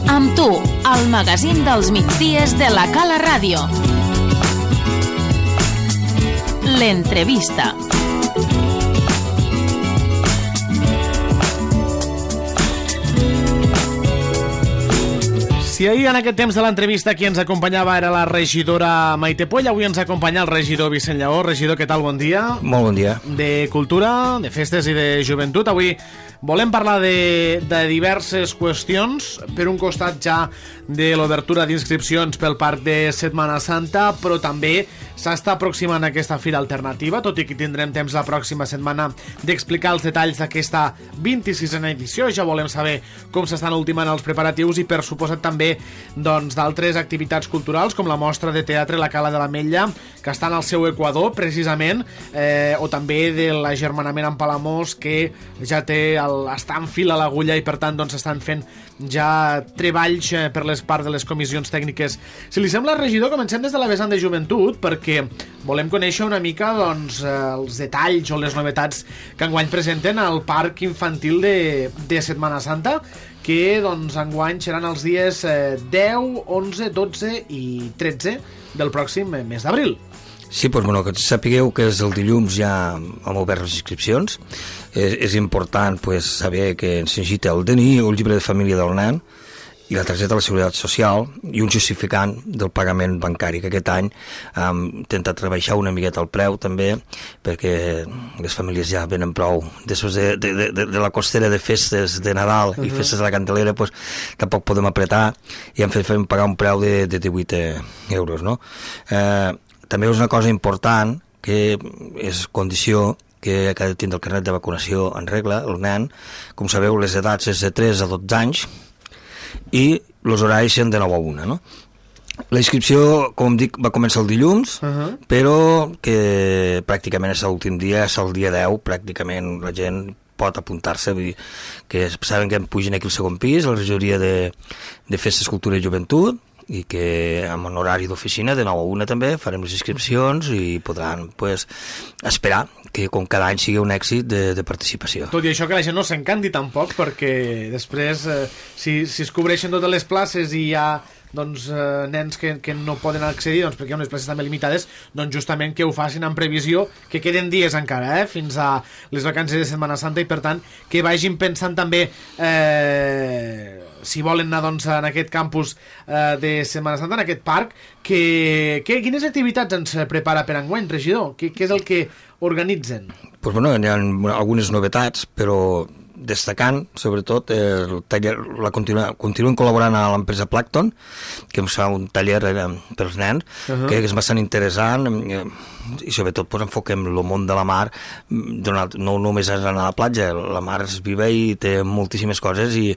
Amb tu, el magazín dels migdies de la Cala Ràdio. L'entrevista. Si ahir en aquest temps de l'entrevista qui ens acompanyava era la regidora Maite Poll, avui ens acompanya el regidor Vicent Lleó. Regidor, què tal? Bon dia. Molt bon dia. De Cultura, de Festes i de Joventut. Avui volem parlar de diverses qüestions. Per un costat ja de l'obertura d'inscripcions pel Parc de Setmana Santa, però també s'està aproximant aquesta fira alternativa, tot i que tindrem temps la pròxima setmana d'explicar els detalls d'aquesta 26a edició. Ja volem saber com s'estan ultimant els preparatius i, per suposat, també d'altres activitats culturals, com la mostra de teatre La Cala de l'Ametlla, que està en el seu equador, precisament, o també de l'agermanament amb Palamós, que ja està en fil a l'agulla i, per tant, estan fent ja treballs per les parts de les comissions tècniques. Si li sembla, regidor, comencem des de la vessant de joventut, perquè volem conèixer una mica els detalls o les novetats que enguany presenten al Parc Infantil de Setmana Santa, que enguany seran els dies 10, 11, 12 i 13 del pròxim mes d'abril. Sí, doncs, que sapigueu que és el dilluns ja hem obert les inscripcions. És important saber que ens necessita el DNI o el llibre de família del nen i la targeta de la Seguretat Social i un justificant del pagament bancari, que aquest any hem intentat rebaixar una miqueta el preu també, perquè les famílies ja venen prou després de la costera de festes de Nadal i festes de la Candelera, tampoc podem apretar i hem fet pagar un preu de 18 euros, no? També és una cosa important, que és condició que ha de tindre el carnet de vacunació en regla, el nen. Com sabeu, les edats és de 3 a 12 anys i els horaris són de 9 a 1, no? La inscripció, com dic, va començar el dilluns, però que pràcticament és l'últim dia, és el dia 10, pràcticament la gent pot apuntar-se, vull dir que saben que em pugen aquí al segon pis, a la regidoria de Festes, Cultura i Joventut, i que amb un horari d'oficina de 9 a 1 també farem les inscripcions i podran esperar que com cada any sigui un èxit de participació. Tot i això, que la gent no s'encanti tampoc, perquè després si es cobreixen totes les places i hi ha nens que no poden accedir perquè hi ha unes places també limitades, justament que ho facin en previsió, que queden dies encara fins a les vacances de Setmana Santa, i per tant que vagin pensant també si volen anar en aquest campus de Setmana Santa, en aquest parc, quines activitats ens prepara per enguany, regidor? Què és el que organitzen? Doncs hi ha algunes novetats, però destacant, sobretot, el taller, continuen col·laborant a l'empresa Plankton, que ens fa un taller per als nens, que és bastant interessant, i sobretot enfoquem el món de la mar, no només és anar a la platja, la mar és viva i té moltíssimes coses, i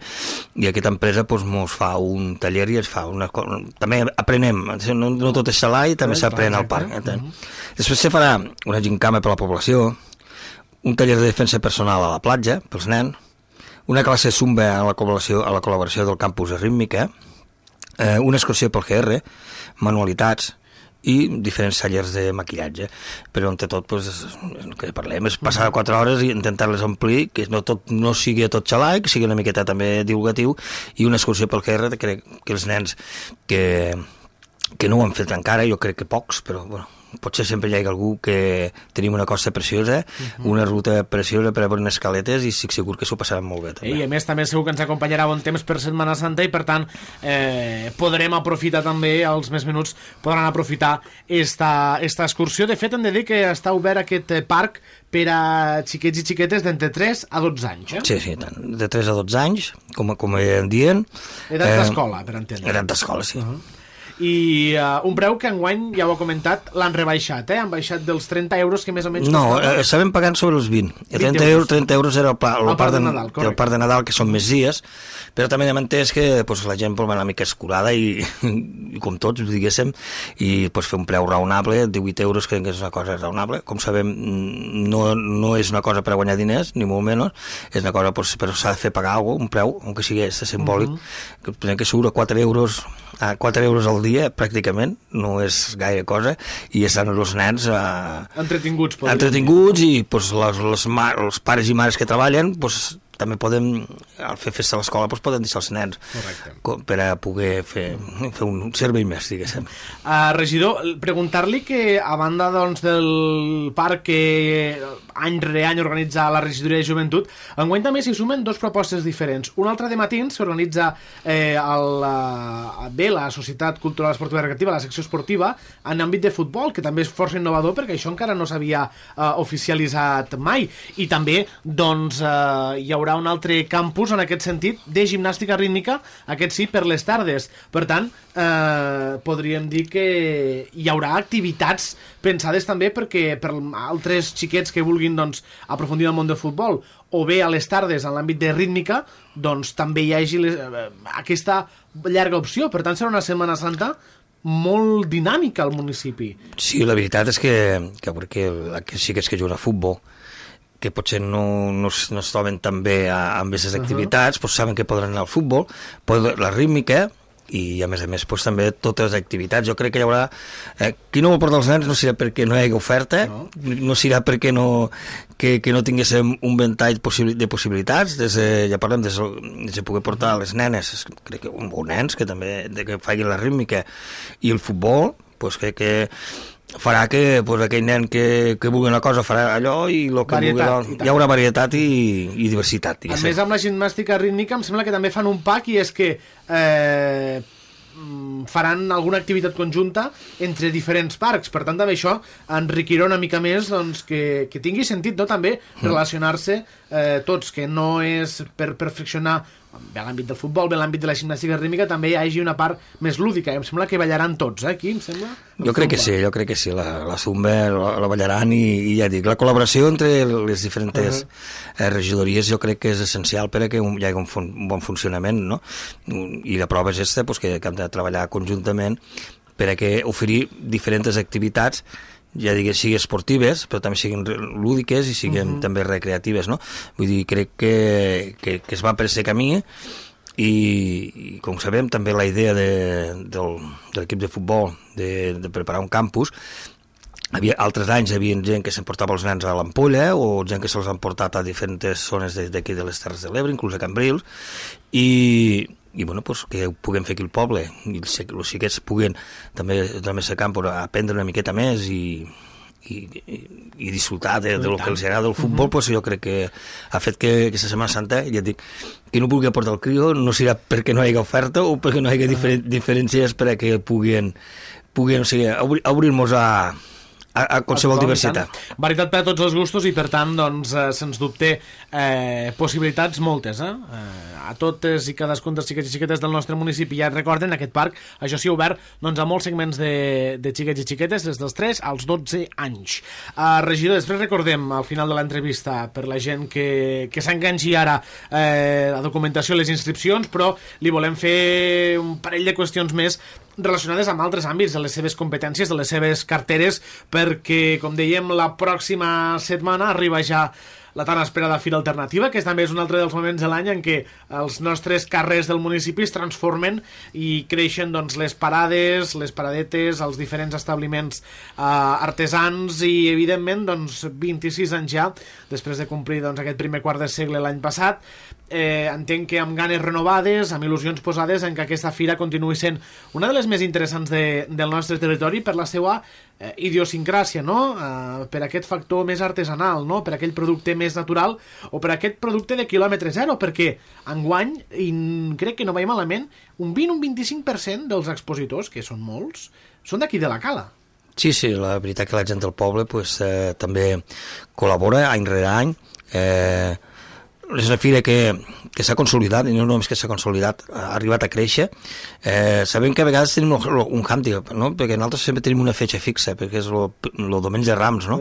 aquesta empresa ens fa un taller i ens fa una cosa. També aprenem, no tot és salai, també s'aprèn al parc. Després se farà una gincama per a la població, un taller de defensa personal a la platja, pels nens, una classe zumba a la col·laboració del campus de rítmica, una excursió pel GR, manualitats i diferents tallers de maquillatge. Però entre tot, el que parlem és passar 4 hores i intentar-les omplir, que no sigui tot xalai, que sigui una miqueta també divulgatiu, i una excursió pel GR, que els nens que no ho han fet encara, jo crec que pocs, però potser sempre hi ha algú que tenim una costa preciosa, una ruta preciosa per a veure unes escaletes, i estic segur que s'ho passaran molt bé també. I a més també segur que ens acompanyarà bon temps per Setmana Santa, i per tant podrem aprofitar també, els més menuts podran aprofitar esta excursió. De fet, hem de dir que està obert aquest parc per a xiquets i xiquetes d'entre 3 a 12 anys. Sí, de 3 a 12 anys, com em diuen. Edat d'escola, per entendre. Edat d'escola, sí. I un preu que enguany, ja ho ha comentat, l'han rebaixat, han baixat dels 30 euros que més o menys no, estàvem pagant sobre els 20. 30 euros era el part de Nadal, que són més dies, però també hem entès que la gent vol anar una mica escurada i com tots, diguéssim, i fer un preu raonable. 18 euros crec que és una cosa raonable. Com sabem, no és una cosa per a guanyar diners, ni molt menys, és una cosa però s'ha de fer pagar alguna cosa, un preu, aunque sigui simbòlic, que surt a 4 euros al dia, pràcticament, no és gaire cosa, i estan els nens entretinguts, i els pares i mares que treballen també podem, al fer festa a l'escola, doncs podem deixar els nens. Correcte. Per a poder fer un servei més, diguéssim. Regidor, preguntar-li que a banda doncs, del parc que any rere any organitza la regidoria de joventut, enguany també s'hi sumen dos propostes diferents. Una altra de matins s'organitza la Societat Cultural Esportiva i Recreativa, la secció esportiva, en àmbit de futbol, que també és força innovador perquè això encara no s'havia oficialitzat mai. I també doncs, hi haurà un altre campus en aquest sentit de gimnàstica rítmica, aquest sí, per les tardes. Per tant, podríem dir que hi haurà activitats pensades també perquè per altres xiquets que vulguin doncs, aprofundir en el món del futbol, o bé a les tardes en l'àmbit de rítmica, doncs també hi hagi aquesta llarga opció. Per tant, serà una Setmana Santa molt dinàmica al municipi. Sí, la veritat és que perquè aquests xiquets que juguen a futbol, que potser no es troben tan bé amb aquestes activitats, doncs saben que podran anar al futbol, la rítmica, i a més pues, també totes les activitats. Jo crec que hi haurà... qui no vol portar els nens no serà perquè no hi hagi oferta, no serà perquè no tinguéssim un ventall de possibilitats, ja parlem de poder portar les nenes, crec que, o nens que també que facin la rítmica i el futbol, doncs crec que farà que pues, aquell nen que vulgui una cosa farà allò i el que vulgui, hi haurà varietat i diversitat. A més, amb la gimnàstica rítmica em sembla que també fan un pack i és que faran alguna activitat conjunta entre diferents parcs. Per tant, també això enriquirà una mica més doncs, que tingui sentit, no? També relacionar-se tots, que no és per perfeccionar bé l'àmbit del futbol, bé l'àmbit de la gimnàstica rítmica, també hi hagi una part més lúdica. Em sembla que ballaran tots, aquí, em sembla? Jo crec que sí, la zumba la ballaran i ja dic, la col·laboració entre les diferents regidories jo crec que és essencial per a que hi hagi un bon funcionament, no? I la prova és aquesta, doncs, que hem de treballar conjuntament per a que oferir diferents activitats, ja digués, siguin esportives, però també siguin lúdiques i siguin també recreatives, no? Vull dir, crec que es va per aquest camí i com sabem, també la idea de l'equip de futbol de preparar un campus, altres anys hi havia gent que s'emportava els nens a l'Ampolla o gent que se'ls han portat a diferents zones d'aquí de les Terres de l'Ebre, inclús a Cambrils, i bueno, pues, que ho puguem fer aquí al poble i els xiquets puguen també a camp aprendre una miqueta més i disfrutar de lo que els agrada del futbol, pues, jo crec que ha fet que aquesta Setmana Santa, ja et dic, qui no vulgui portar el crió no serà perquè no hi hagi oferta o perquè no hi hagi diferències per a que puguin o sigui, obrir-nos a qualsevol diversitat. Varietat per a tots els gustos i per tant, doncs, sens dubte possibilitats moltes, a totes i cadascun dels xiquets i xiquetes del nostre municipi. Ja recorden, aquest parc, això sí, obert doncs, a molts segments de xiquets i xiquetes des dels 3 als 12 anys. Regidor, després recordem al final de l'entrevista per la gent que s'enganxi ara la documentació i les inscripcions, però li volem fer un parell de qüestions més relacionades amb altres àmbits de les seves competències, de les seves carteres, perquè, com dèiem, la pròxima setmana arriba ja la tan esperada Fira Alternativa, que també és un altre dels moments de l'any en què els nostres carrers del municipi es transformen i creixen doncs, les parades, les paradetes, els diferents establiments artesans i, evidentment, doncs, 26 anys ja, després de complir doncs, aquest primer quart de segle l'any passat, entenc que amb ganes renovades, amb il·lusions posades en que aquesta fira continuï sent una de les més interessants del nostre territori per la seva idiosincràsia, no? Per aquest factor més artesanal, no? Per aquell producte més natural o per aquest producte de quilòmetre zero, perquè enguany, i crec que no vaig malament, un 20 o un 25% dels expositors, que són molts, són d'aquí de la Cala. Sí, la veritat que la gent del poble pues, també col·labora any rere any. És una fira que s'ha consolidat, i no només que s'ha consolidat, ha arribat a créixer. Sabem que a vegades tenim un hàndicap, no? Perquè nosaltres sempre tenim una fetge fixa, perquè és el diumenge de Rams, no?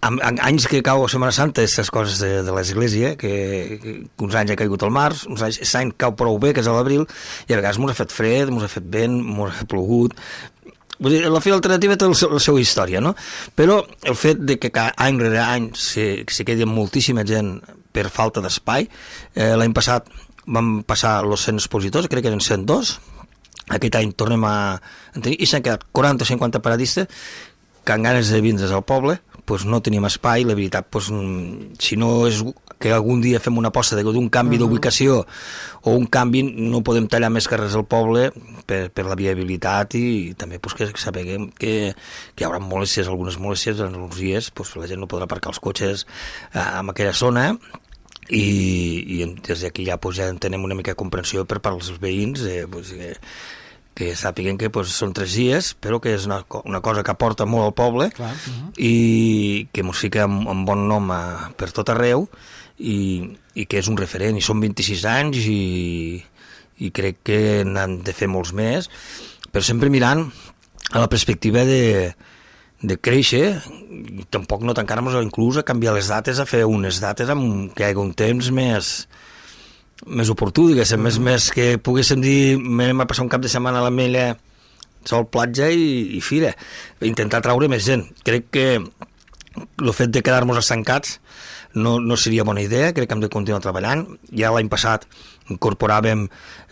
Anys que cau a Setmana Santa, aquestes coses de l'església, que uns anys ha caigut al març, uns anys l'any cau prou bé, que és a l'abril, i a vegades mos ha fet fred, mos ha fet vent, mos ha plogut. Vull dir, la Fira Alternativa té la seva història, no? Però el fet de que any rere any se quedi moltíssima gent per falta d'espai, l'any passat vam passar els 100 expositors, crec que eren 102, aquest any tornem a tenir, i s'han quedat 40 o 50 paradistes que han ganes de vindre's al poble, pues, no tenim espai, la veritat, pues, si no és que algun dia fem una aposta d'un canvi d'ubicació o un canvi, no podem tallar més carrers al poble per la viabilitat i també pues, que sapiguem que hi haurà molèsties, algunes molèsties en els dies, pues, la gent no podrà aparcar els cotxes en aquella zona i des d'aquí ja, pues, ja tenem una mica de comprensió per part dels veïns pues, que sàpiguen que pues, són 3 dies, però que és una cosa que aporta molt al poble. Clar. I que ens fica en bon nom per tot arreu i que és un referent, i són 26 anys i crec que n'han de fer molts més, però sempre mirant a la perspectiva de créixer, i tampoc no tancar-nos inclús a canviar les dates, a fer unes dates amb que hi hagi un temps més oportú, diguéssim, més que poguéssim dir, anem a passar un cap de setmana a l'Ametlla, sol, platja i fira, intentar traure més gent. Crec que el fet de quedar-nos estancats no seria bona idea, crec que hem de continuar treballant. Ja l'any passat incorporàvem,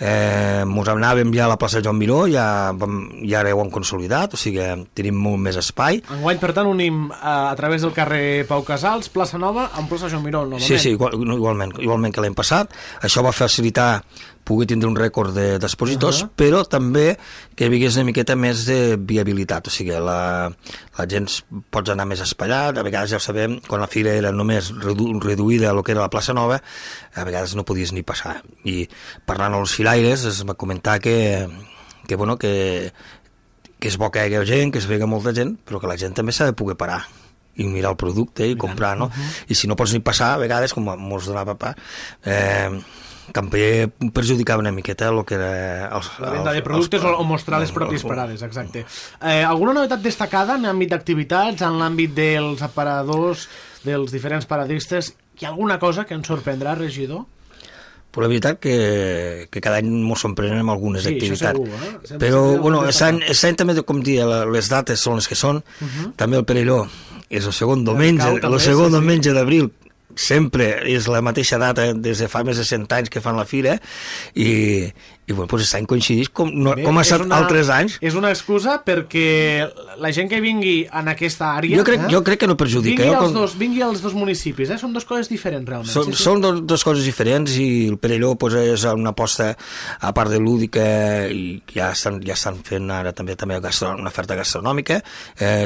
ens anàvem ja a la plaça Joan Miró, ja ara ho hem consolidat, o sigui, tenim molt més espai. Enguany, per tant, unim a través del carrer Pau Casals, plaça Nova, amb plaça Joan Miró, novament. Sí, igualment que l'any passat. Això va facilitar poder tindre un rècord d'expositors, però també que hi hagués una miqueta més de viabilitat, o sigui, la gent pots anar més espallat, a vegades ja ho sabem, quan la fira era només reduïda a lo que era la plaça Nova, a vegades no podies ni passar. I parlant amb els filaires es va comentar que és bo que hi hagi gent, que es vegi molta gent, però que la gent també s'ha de poder parar i mirar el producte i comprar, no? I si no pots ni passar, a vegades, com mos donava pa, també perjudicava una miqueta el que era la venda de productes o mostrar les pròpies parades, exacte. Alguna novetat destacada en l'àmbit d'activitats, en l'àmbit dels aparadors, dels diferents paradistes? Hi ha alguna cosa que ens sorprendrà, regidor? Però la veritat que cada any ens sorprenem amb algunes activitats. Segur, però, bueno, aquest any també, com dia, les dates són les que són. També el Perelló és el segon diumenge d'abril, sempre és la mateixa data des de fa més de 100 anys que fan la fira i bueno, doncs aquest any coincideix com ha estat altres anys. És una excusa perquè la gent que vingui en aquesta àrea jo crec que no perjudica vingui als dos municipis, són dues coses diferents realment. Són dues coses diferents i el Perelló és una aposta a part de lúdica i ja estan fent ara també una oferta gastronòmica,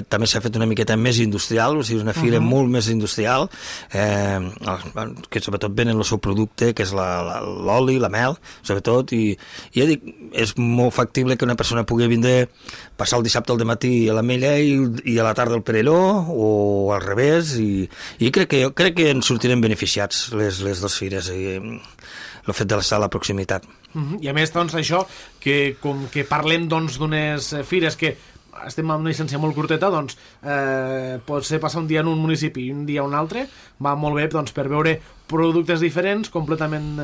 també s'ha fet una miqueta més industrial, o sigui, una fira molt més industrial, que sobretot venen el seu producte, que és l'oli, la mel, sobretot, i ja dic, és molt factible que una persona pugui vindre, passar el dissabte al matí a l'Ametlla i a la tarda al Perelló, o al revés, i crec que ens sortirem beneficiats les dues fires, i el fet de l'estar a la proximitat. I a més, doncs, això, que com que parlem d'unes fires que estem amb una llicència molt curteta, doncs potser passar un dia en un municipi i un dia a un altre va molt bé, doncs, per veure productes diferents, completament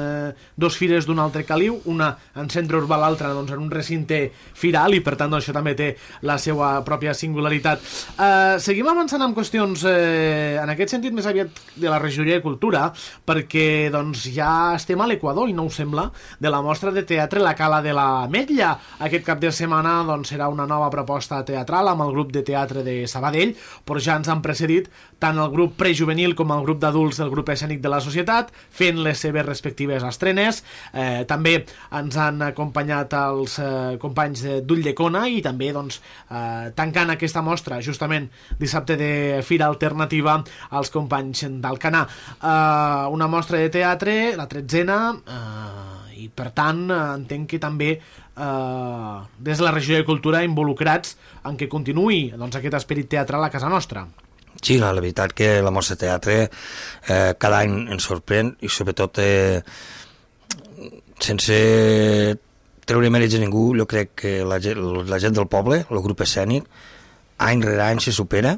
dos fires d'un altre caliu, una en centre urbà, l'altra doncs, en un recinte firal, i per tant doncs, això també té la seva pròpia singularitat. Seguim avançant amb qüestions en aquest sentit més aviat de la regidoria de Cultura, perquè doncs, ja estem a l'Equador, i no ho sembla, de la mostra de teatre La Cala de l'Ametlla. Aquest cap de setmana doncs, serà una nova proposta teatral amb el grup de teatre de Sabadell, però ja ens han precedit tant el grup prejuvenil com el grup d'adults del grup escènic de la Societat, fent les seves respectives estrenes. També ens han acompanyat els companys d'Ulldecona i també doncs, tancant aquesta mostra justament dissabte de Fira Alternativa els companys d'Alcanar. Una mostra de teatre, la 13ª, i per tant entenc que també des de la regió de Cultura involucrats en què continuï doncs, aquest esperit teatral a casa nostra. Sí, la veritat que la mostra de teatre cada any ens sorprèn i sobretot sense treure mèrits a ningú, jo crec que la gent del poble, el grup escènic, any rere any se supera.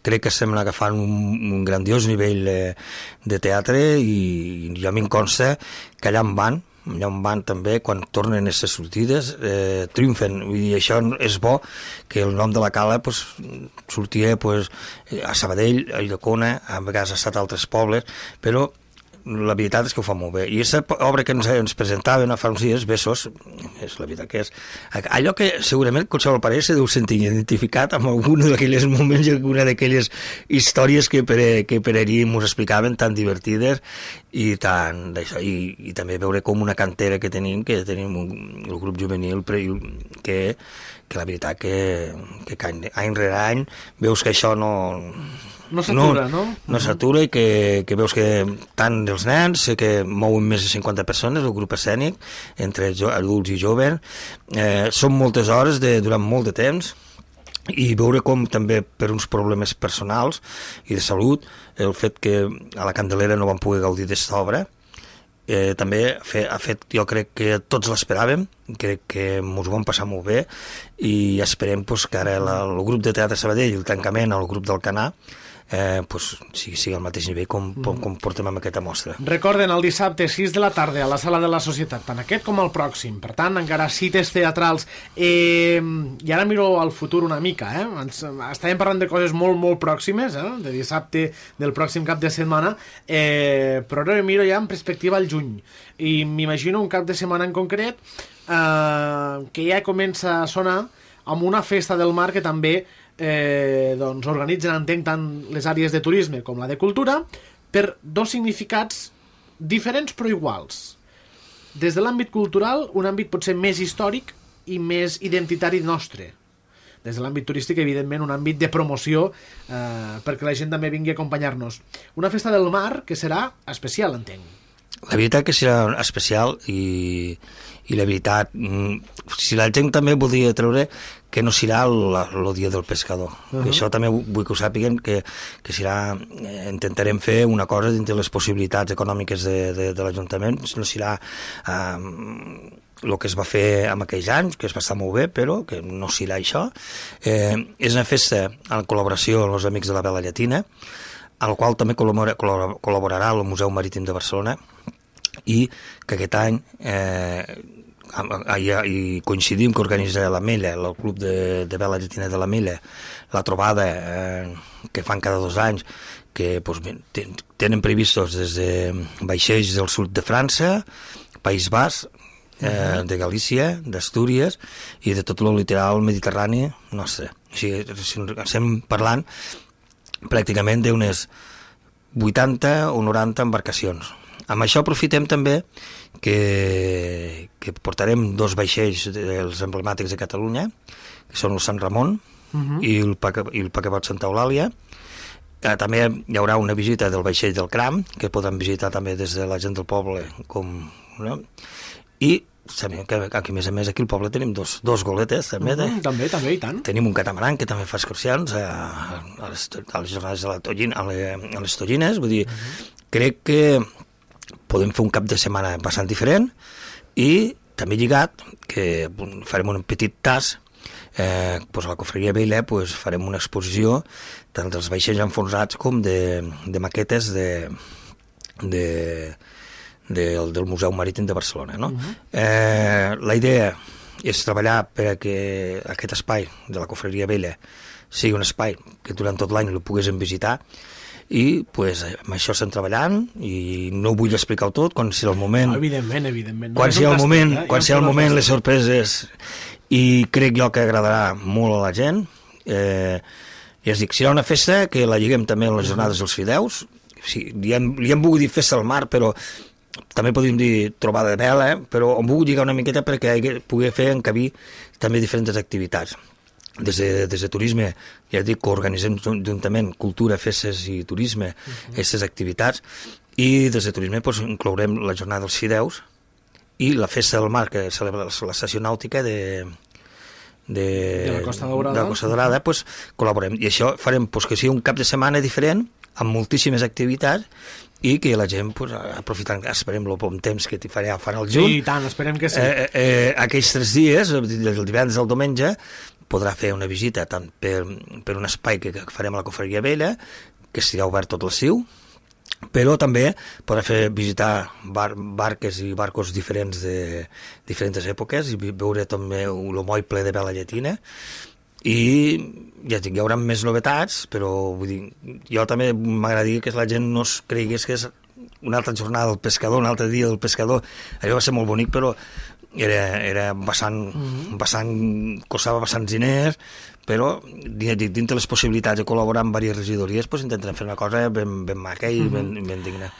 Crec que estem agafant un grandiós nivell de teatre i ja m'hi consta que allà on van també, quan tornen a les sortides, triomfen. Vull dir, això és bo, que el nom de la Cala sortia a Sabadell, a Ulldecona, a vegades ha estat a altres pobles, però la veritat és que ho fa molt bé. I aquesta obra que ens presentaven fa uns dies, Besos, és la veritat que és allò que segurament qualsevol parell se deu sentir identificat amb algun d'aquells moments i alguna d'aquelles històries que per allí ens explicaven, tan divertides i tan d'això. I també veure com una cantera que tenim el grup juvenil que la veritat que any rere any veus que això no s'atura, no? No s'atura i que veus que tant els nens, que mouen més de 50 persones, el grup escènic, entre adults i joves, són moltes hores durant molt de temps, i veure com també per uns problemes personals i de salut, el fet que a la Candelera no van poder gaudir d'esta obra, també ha fet, jo crec que tots l'esperàvem, crec que ens ho vam passar molt bé i esperem que ara el grup de Teatre Sabadell, el tancament al grup del Canà, sigui al mateix nivell com portem amb aquesta mostra. Recorden, el dissabte 6 de la tarda a la Sala de la Societat, tant aquest com el pròxim, per tant encara cites teatrals, i ara miro al futur una mica, estàvem parlant de coses molt, molt pròximes, de dissabte del pròxim cap de setmana, però ara miro ja en perspectiva al juny, i m'imagino un cap de setmana en concret que ja comença a sonar amb una festa del mar que també organitzen, entenc, tant les àrees de turisme com la de cultura, per dos significats diferents però iguals. Des de l'àmbit cultural, un àmbit potser més històric i més identitari nostre. Des de l'àmbit turístic, evidentment, un àmbit de promoció perquè la gent també vingui a acompanyar-nos. Una festa del mar que serà especial, entenc. La veritat que serà especial i la veritat, si la gent també voldria treure que no serà el dia del pescador. Això també vull que ho sàpiguen, que serà, intentarem fer una cosa dintre les possibilitats econòmiques de l'Ajuntament, no serà el que es va fer en aquells anys, que es va estar molt bé, però que no serà això. És una festa en col·laboració amb els Amics de la Vela Llatina, al qual també col·laborarà el Museu Marítim de Barcelona, i que aquest any i coincidim que organitzarà la Mella, el Club de Vela Llatina de la Mella, la trobada que fan cada 2 anys, que tenen previstos des de vaixells del sud de França, País Basc, de Galícia, d'Astúries i de tot el litoral mediterrani nostre. O sigui, estem parlant pràcticament d'unes 80 o 90 embarcacions. Amb això aprofitem també que portarem 2 vaixells dels emblemàtics de Catalunya, que són el Sant Ramon i el Paquebot Santa Eulàlia. També hi haurà una visita del vaixell del Cram, que podran visitar també des de la gent del poble, i sabem que aquí, a més aquí al poble tenim dos goletes també, també, i tant. Tenim un catamaran que també fa excursions a les jornades a les Tollines. Vull dir, crec que podem fer un cap de setmana bastant diferent, i també lligat que farem un petit tas, a la Cofreria Vella farem una exposició tant dels vaixells enfonsats com de maquetes del Museu Marítim de Barcelona, no? La idea és treballar perquè aquest espai de la Cofreria Vella sigui un espai que durant tot l'any el poguéssim visitar, i amb això estem treballant, i no vull explicar-ho tot, quan sigui el moment, evidentment. Quan sigui el moment, les sorpreses, i crec jo que agradarà molt a la gent. I es dic, serà una festa que la lliguem també a les jornades dels fideus. Li hem volgut dir festa al mar, però també podríem dir trobada de vela, però hem volgut lligar una miqueta perquè pugui fer encabir també diferents activitats. Des de turisme, ja dic que organitzem juntament cultura, festes i turisme, aquestes activitats, i des de turisme inclourem la jornada dels fideus i la festa del mar, que celebra l'estació nàutica de la Costa Daurada, col·laborem. I això farem que sigui un cap de setmana diferent, amb moltíssimes activitats, i que la gent, aprofitant, esperem el bon temps que farà al juny, i tant, esperem que sí. Aquells 3 dies, del divendres al diumenge, podrà fer una visita tant per un espai que farem a la Cofreria Vella, que estarà obert tot l'estiu, però també podrà visitar barques i barcos diferents de diferents èpoques, i veure també el moll ple de vela llatina. I ja hi haurà més novetats, però vull dir, jo també m'agradaria que la gent no es cregués que és una altra jornada del pescador, un altre dia del pescador, allò va ser molt bonic, però era costava bastants diners, però dintre les possibilitats de col·laborar amb diverses regidories pues, intentarem fer una cosa ben maca i ben digna.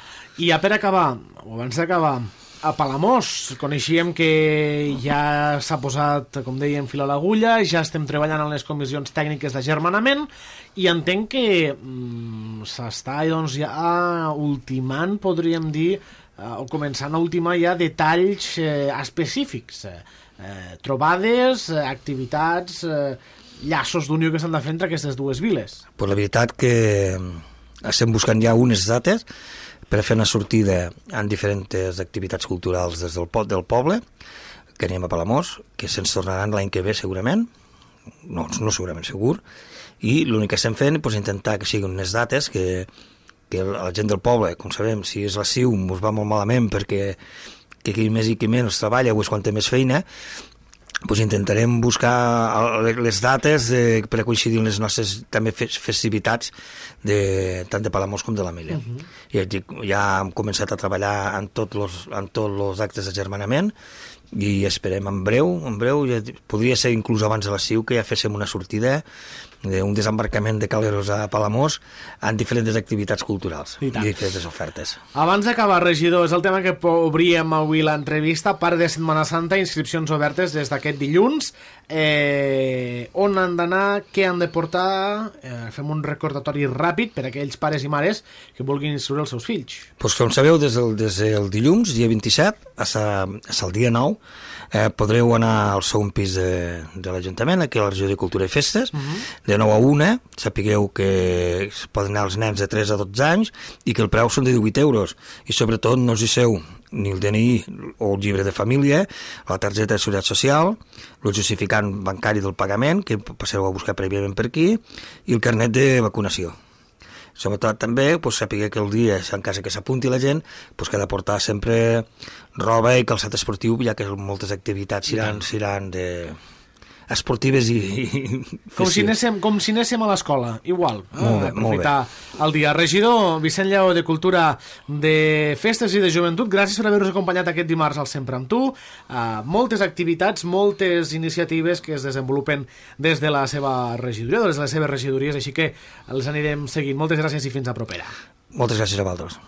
I ja per acabar, o abans d'acabar, a Palamós coneixíem que ja s'ha posat, com dèiem, fil a l'agulla, ja estem treballant en les comissions tècniques d'agermanament i entenc que s'està doncs, ja ultimant, podríem dir, o començant a ultimar ja detalls específics, trobades, activitats, llaços d'unió que s'han de fer entre aquestes dues viles. Pues la veritat que estem buscant ja unes dates per fer una sortida en diferents activitats culturals des del poble, que anem a Palamós, que se'ns tornaran l'any que ve segurament, no segurament segur, i l'únic que estem fent és pues, intentar que siguin unes dates que la gent del poble, com sabem, si és l'estiu ens va molt malament perquè qui més i qui menys treballa o és quan té més feina, pues intentarem buscar les dates per a coincidir amb les nostres també festivitats tant de Palamós com de l'Ametlla. Ja hem començat a treballar en tots els actes d'agermanament i esperem en breu, ja podria ser inclús abans de l'estiu que ja féssim una sortida d'un desembarcament de caleros a Palamós en diferents activitats culturals i diferents ofertes. Abans d'acabar, regidor, és el tema que obríem avui l'entrevista, part de Setmana Santa, inscripcions obertes des d'aquest dilluns. On han d'anar, què han de portar? Fem un recordatori ràpid per a aquells pares i mares que vulguin instruir els seus fills. Pues, com sabeu, des del dilluns, dia 27, fins al dia 9, podreu anar al segon pis de l'Ajuntament, aquí a la regió de Cultura i Festes, de 9 a 1, sapigueu que poden anar els nens de 3 a 12 anys i que el preu són de 18 euros. I sobretot no us deixeu ni el DNI o el llibre de família, la targeta de seguretat social, el justificant bancari del pagament, que passeu a buscar prèviament per aquí, i el carnet de vacunació. Sobretot també pues, saber que el dia, en cas que s'apunti la gent, pues, que ha de portar sempre roba i calçat esportiu, ja que moltes activitats seran esportives i com si anéssim a l'escola, igual. Aprofitar el dia. Regidor Vicent Lleó, de Cultura, de Festes i de Joventut, gràcies per haver-nos acompanyat aquest dimarts al Sempre amb tu. Moltes activitats, moltes iniciatives que es desenvolupen des de la seva regidoria, des de les seves regidories, així que les anirem seguint. Moltes gràcies i fins a propera. Moltes gràcies a vosaltres.